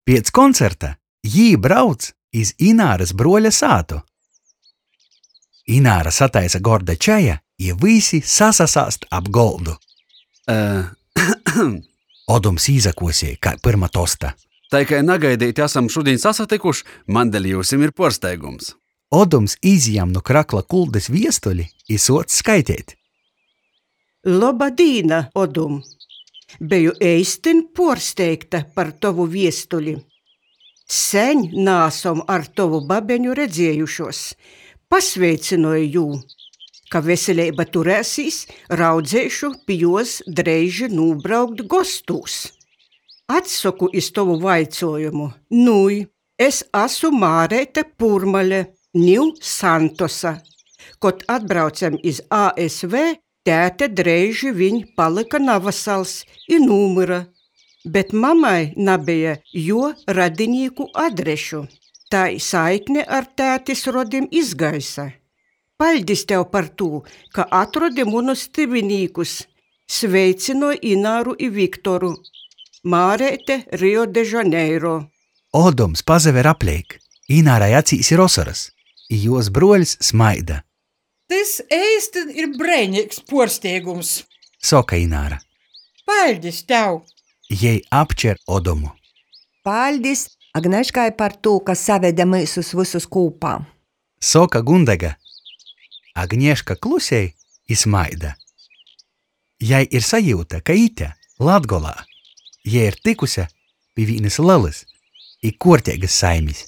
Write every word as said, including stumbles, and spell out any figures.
Piec koncerta jī brauc iz Inārys bruoļa sātu. Ināra sataisa gorda čaja, i vysi sasasāst ap goldu. Uh, Odums īsakuosej kai pyrma tosta. Tai kai nagaideiti asam šudiņ sasatykuš, maņ deļ jiusim ir puorsteigums. Odums izjam nu krakla kuldys viestuli i suoc skaiteit. Loba dīna, Odum! Beju eistyn puorsteigta par tovu viestuli. Seņ naasom ar tovu babeņu redziejušuos. Pasveicynoju jū. Ka veseleiba turēsīs, raudzeišu pi juos dreiži nūbraukt gostūs. Atsoku iz tovu vaicuojumu. Nui, es asu Māreite Pūrmale, niu Santosa. Kod atbraucem iz A S V, tēte dreiži viņ palyka navasals i nūmyra, bet mamai nabeja juo radinīku adrešu. Tai saikne ar tētis rodim izgaisa. Paļdis tev par tū, ka atrodi munus tyvinīkus. Sveicynoj Ināru i Viktoru. Māreite, Rio de Janeiro. Odums pasaver apleik. Inārai acīs ir osorys, i juos bruoļs smaida. Tys eistyn ir breineigs puorsteigums, soka Ināra. Paļdis tev! Jei apčer Odumu. Paļdis Agneškai par tū, ka savede myusus vysus kūpā, soka Gundega. Agneška klusej i smaida. Jai ir sajiuta, ka ite, Latgolā, jei ir tykuse pi vīnys lelys i kuorteigys saimis.